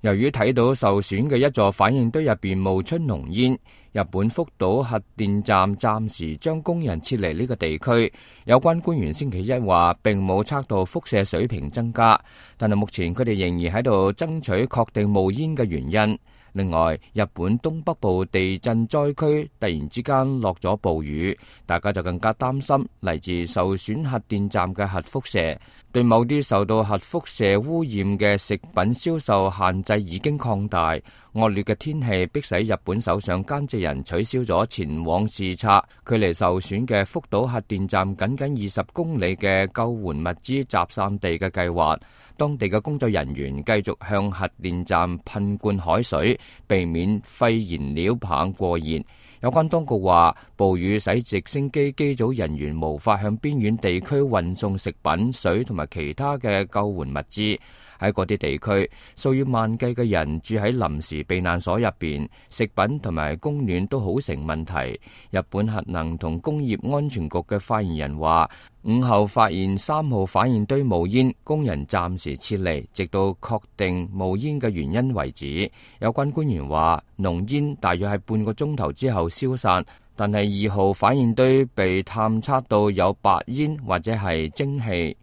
由於睇到受損嘅一座反應堆入邊冒出濃煙，日本福島核電站暫時將工人撤離呢個地區。有關官員星期一話並冇測到輻射水平增加，但係目前佢哋仍然喺度爭取確定冒煙嘅原因。另外，日本東北部地震災區突然之間落咗暴雨，大家就更加擔心嚟自受損核電站嘅核輻射。對某啲受到核輻射污染嘅食品銷售限制已經擴大。惡劣嘅天氣迫使日本首相菅直人取消咗前往視察距離受損嘅福島核電站僅僅20公里嘅救援物資集散地嘅計劃。當地嘅工作人員繼續向核電站噴灌海水，避免廢燃料棒過熱。有關當局話，暴雨使直升機機組人員無法向邊遠地區運送食品、水同埋其他嘅救援物資。喺嗰啲地區，數以萬計嘅人住喺臨時避難所入邊，食品同埋供暖都好成問題。日本核能同工業安全局嘅發言人話，午後發現3號反應堆冒煙，工人暫時撤離，直到確定冒煙嘅原因為止。有關官員話，濃煙大約係半個鐘頭之後消散，但係2號反應堆被探測到有白煙或者係蒸汽。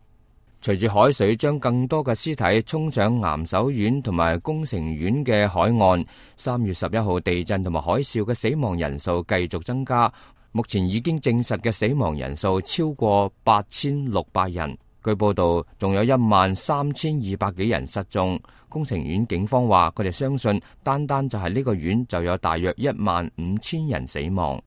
隨住海水將更多嘅屍體沖上岩手縣同埋宮城縣嘅海岸，3月11號地震同埋海嘯嘅死亡人數繼續增加，目前已經證實嘅死亡人數超過8600人。據報道，仲有13200幾人失蹤。宮城縣警方話，佢哋相信單單就係呢個縣就有大約15000人死亡。